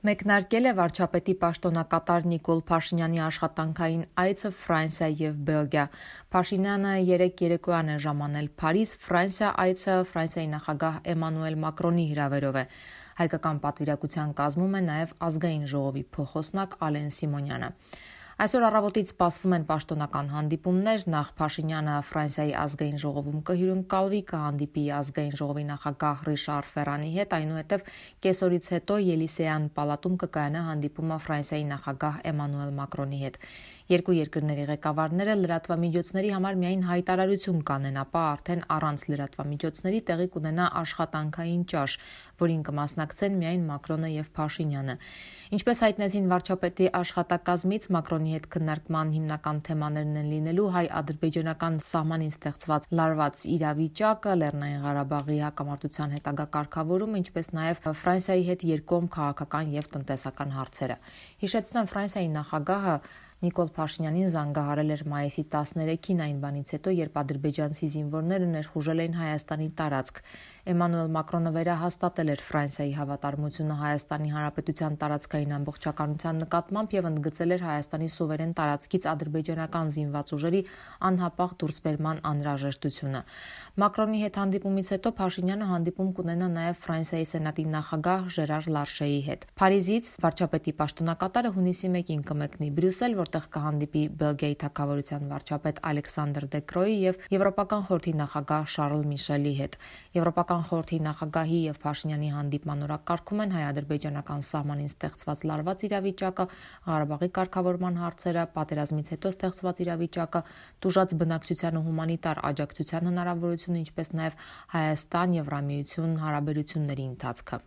Մեկնարկել է վարչապետի պաշտոնակատար Նիկոլ Փաշինյանի աշխատանքային այցը Ֆրանսիա և Բելգիա։ Փաշինյանը երեկ երեկոյան է ժամանել Փարիզ։ Ֆրանսիա այցը Ֆրանսիայի նախագահ Էմանուել Մակրոնի հրավերով է։ Հայկական պատվիրակության կազմում է նաև ազգային ժողովի փոխոսնակ Ալեն Սիմոնյանը։ Այսօր առավոտից սպասվում են պաշտոնական հանդիպումներ, նախ Փաշինյանը Ֆրանսիայի ազգային ժողովում կհյուրընկալվի, կհանդիպի ազգային ժողովի նախագահ Ռիշար Ֆերանի հետ, այնուհետև կեսօրից հետո Ելիսեյան պալատում կկայանա հանդիպումը Ֆրանսիայի նախագահ Էմանուել Մակրոնի հետ։ Երկու երկրների ղեկավարները լրատվամիջոցների համար միայն հայտարարություն կանեն, ապա արդեն առանց լրատվամիջոցների տեղի կունենա աշխատանքային ճաշ, որին կմասնակցեն միայն Մակրոնը և Փաշինյանը։ Ինչպես հայտնեցին վարչապետի աշխատակազմից, Մակրոնի հետ քննարկման հիմնական թեմաներն են լինելու հայ-ադրբեջանական սահմանին ստեղծված լարված իրավիճակը, Լեռնային Ղարաբաղի հակամարտության հետագա կարգավորումը, ինչպես նաև Ֆրանսիայի հետ երկկողմ քաղաքական և տնտեսական հարցերը։ Հիշեցնեմ, Ֆրանսիայի նախագահը Նիկոլ Փաշինյանին զանգահարել էր մայիսի 13-ին, այն բանից հետո, երբ ադրբեջանցի զինվորները ներխուժել էին Հայաստանի տարածք։ Էմանուել Մակրոնը վերահաստատել էր Ֆրանսիայի հավատարմությունը Հայաստանի Հանրապետության տարածքային ամբողջականության նկատմամբ և ընդգծել էր Հայաստանի սուվերեն տարածքից ադրբեջանական զինված ուժերի անհապաղ դուրսբերման անհրաժեշտությունը։ Մակրոնի հետ հանդիպումից հետո Փաշինյանը հանդիպում կունենա նաև Ֆրանսիայի սենատի նախագահ Ժերար Լարշեի հետ։ Փարիզից վարչապետի պաշտոնակատարը հունիսի 1-ին կմեկնի Բրյուսել, որտեղ կհանդիպի Բելգիայի թագավորության վարչապետ Ալեքսանդր Դեկրոյի և Եվրոպական խորհրդի նախագահ Շարլ Միշելի հետ։ Եվրոպական խորհրդի նախագահի եւ Փաշինյանի հանդիպման օրակարգում են հայ-ադրբեջանական սահմանին ստեղծված լարված իրավիճակը, Ղարաբաղի կարգավորման հարցերը, պատերազմից հետո ստեղծված իրավիճակը, տուժած բնակչության ու հումանիտար աջակցության հնարավորությունը, ինչպես նաև Հայաստան-Եվրամիություն հարաբերությունների ընթացքը։